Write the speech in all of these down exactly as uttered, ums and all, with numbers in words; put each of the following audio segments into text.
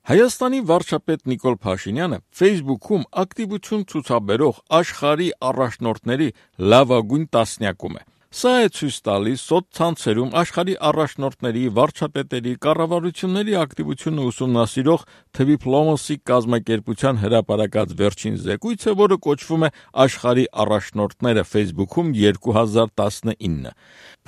Հայաստանի վարչապետ Նիկոլ Փաշինյանը Facebook-ում ակտիվություն ցուցաբերող աշխարհի առաջնորդների լավագույն տասնյակում է։ Սա է ցույց տալիս սոցցանցերում աշխարհի առաջնորդների, վարչապետերի, կառավարությունների ակտիվությունը ուսումնասիրող Twiplomacy կազմակերպության հրապարակած վերջին զեկույցը, որը կոչվում է «Աշխարհի առաջնորդները Facebook-ում երկու հազար տասնինը»։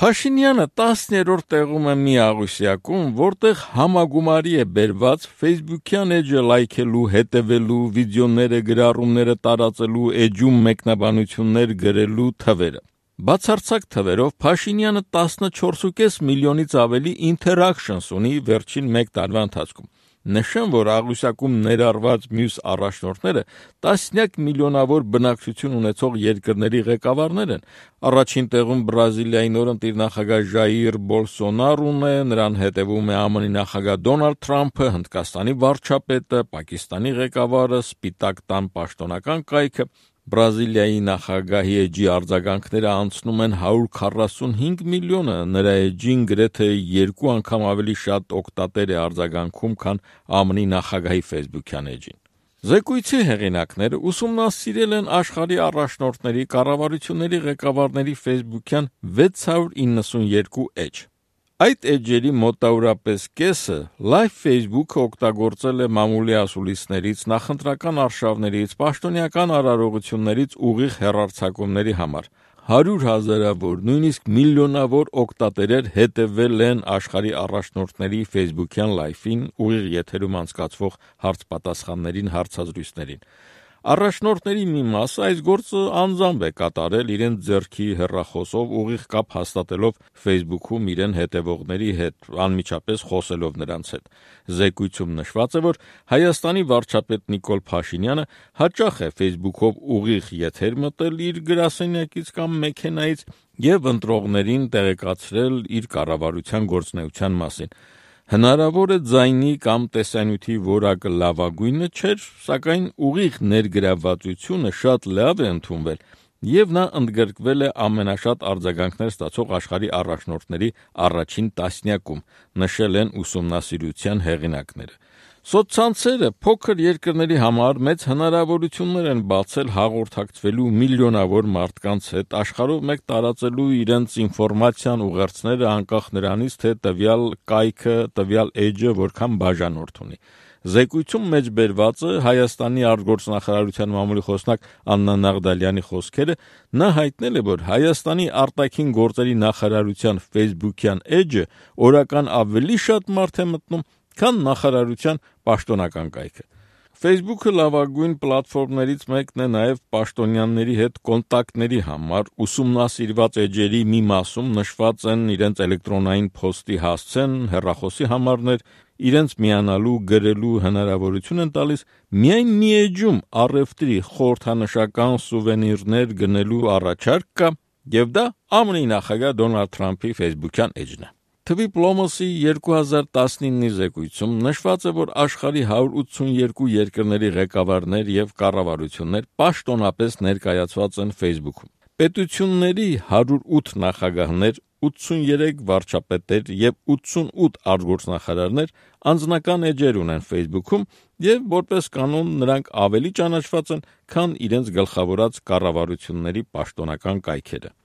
Փաշինյանը տասներորդ տեղում է մի աղյուսակում, որտեղ համագումարի է բերված Facebook-յան էջը լայքելու, հետևելու, վիդեոները, գրառումները տարածելու, էջում մեկնաբանություններ գրելու թվերը։ Բացարձակ թվերով Փաշինյանը տասնչորս ու կես միլիոնից ավելի interactions ունի վերջին մեկ տարվա ընթացքում։ Նշեմ, որ աղյուսակում ներառված մյուս առաջնորդները տասնյակ միլիոնավոր բնակչություն ունեցող երկրների ղեկավարներ են։ Առաջին տեղում Բրազիլիայի նորընտիր նախագահ Ժաիր Բոլսոնարոն է, նրան հետևում է ԱՄՆ-ի նախագահ Դոնալդ Թրամփը, Հնդկաստանի վարչապետը, Պակիստանի ղեկավարը, Սպիտակ տան պաշտոնական կայքը։ Բրազիլիայի նախագահի էջի արձագանքները անցնում են հարյուր քառասունհինգ միլիոնը, նրա էջին գրեթե երկու անգամ ավելի շատ օգտատեր է արձագանքում, քան ԱՄՆ-ի նախագահի Facebook-յան էջին։ Զեկույցի հեղինակները ուսումնասիրել են աշխարհի առաջնորդների, կառավարությունների ղեկավարների Facebook-յան վեց հարյուր իննսունյոթ էջ։ Այդ էջերի մոտավորապես կեսը Live Facebook-ը օգտագործել է մամուլի ասուլիսներից, նախընտրական արշավներից, պաշտոնյական արարողություններից ուղիղ հեռարձակումների համար։ Հարյուր հազարավոր, նույնիսկ միլիոնավոր օգտատերեր հետևել են աշխարհի առաջնորդների Facebook-յան լայվին, ուղիղ եթերում անցկացվող հարց-պատասխաններին, հարցազրույցներին։ Առաջնորդների մի մասը այս գործը անձամբ է կատարել իրենց ձեռքի հեռախոսով, ուղիղ կապ հաստատելով Facebook-ում իրեն հետևողների հետ, անմիջապես խոսելով նրանց հետ։ Զեկույցում նշված է, որ Հայաստանի վարչապետ Նիկոլ Փաշինյանը հաճախ է Facebook-ով ուղիղ եթեր մտել իր գրասենյակից կամ մեքենայից և ընտրողներին տեղեկացրել իր կառավարության գործունեության մասին։ Հնարավոր է ձայնի կամ տեսանյութի որակը լավագույնը չէր, սակայն ուղիղ ներգրավվածությունը շատ լավ է ընդունվել, և նա ընդգրկվել է ամենաշատ արձագանքներ ստացող աշխարհի առաջնորդների առաջին տասնյակում, նշել են ուսումնասիրության հեղինակները։ Սոցցանցերը փոքր երկրների համար մեծ հնարավորություններ են բացել հաղորդակցվելու միլիոնավոր մարդկանց հետ, աշխարհով մեկ տարածելու իրենց ինֆորմացիան, ուղերձները, անկախ նրանից, թե տվյալ կայքը, տվյալ էջը որքան բաժանորդ ունի։ Զեկույցում մեջբերված է Հայաստանի արտգործնախարարության մամուլի խոսնակ Աննա Նաղդալյանի խոսքերը։ Նա հայտնել է, որ Հայաստանի արտաքին գործերի նախարարության Facebook-յան էջը օրական ավելի շատ մարդ է մտնում, քան նախարարության պաշտոնական կայքը։ Facebook-ը լավագույն պլատֆորմներից մեկն է նաև պաշտոնյաների հետ կոնտակտների համար։ Ուսումնասիրված էջերի մի մասում նշված են իրենց էլեկտրոնային փոստի հասցեն, հեռախոսի համարներ, իրենց միանալու, գրելու հնարավորություն են տալիս, միայն մի էջում առևտրի խորհրդանշական սուվենիրներ գնելու առաջարկ կա, և դա ԱՄՆ-ի նախագահ Դոնալդ Թրամփի Facebook-յան էջն է։ Twiplomacy երկու հազար տասնինի զեկույցում նշված է, որ աշխարհի հարյուր ութսունյոթ երկրների ղեկավարներ և կառավարություններ պաշտոնապես ներկայացված են Facebook-ում։ Պետությունների հարյուր ութ նախագահներ, ութսուներեք վարչապետեր և ութսունութ արտգործնախարարներ անձնական էջեր ունեն Facebook-ում, և որպես կանոն նրանք ավելի ճանաչված են, քան իրենց գլխավորած կառավարությունների պաշտոնական կայքերը։